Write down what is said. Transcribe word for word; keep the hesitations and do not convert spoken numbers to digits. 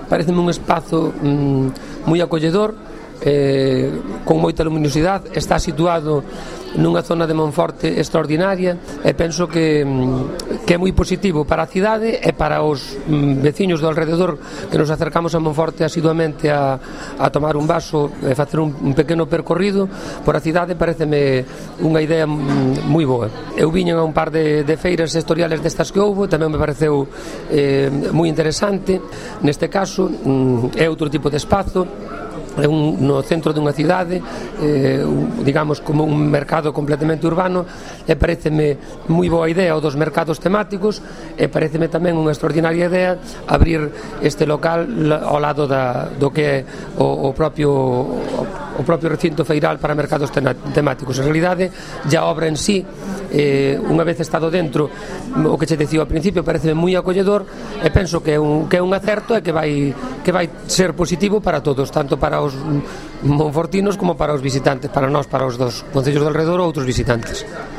pareceme un espazo mm, moi acolledor, eh, con moita luminosidade, está situado nunha zona de Monforte extraordinaria e penso que, que é moi positivo para a cidade e para os veciños do alrededor que nos acercamos a Monforte asiduamente a, a tomar un vaso e facer un, un pequeno percorrido por a cidade. Pareceme unha idea moi boa. Eu viñen a un par de, de feiras sectoriales destas que houbo, tamén me pareceu eh, moi interesante. Neste caso é outro tipo de espazo, é un, no centro dunha cidade, eh, un, digamos como un mercado completamente urbano, e pareceme moi boa idea o dos mercados temáticos, e pareceme tamén unha extraordinaria idea abrir este local ao lado da, do que é o, o propio o, o propio recinto feiral para mercados temáticos. En realidade, já a obra en sí, eh, unha vez estado dentro, o que che dicía ao principio, pareceme moi acolledor, e penso que é un, que é un acerto e que vai, que vai ser positivo para todos, tanto para os monfortinos como para os visitantes, para nós, para os dos concellos do alrededor ou outros visitantes.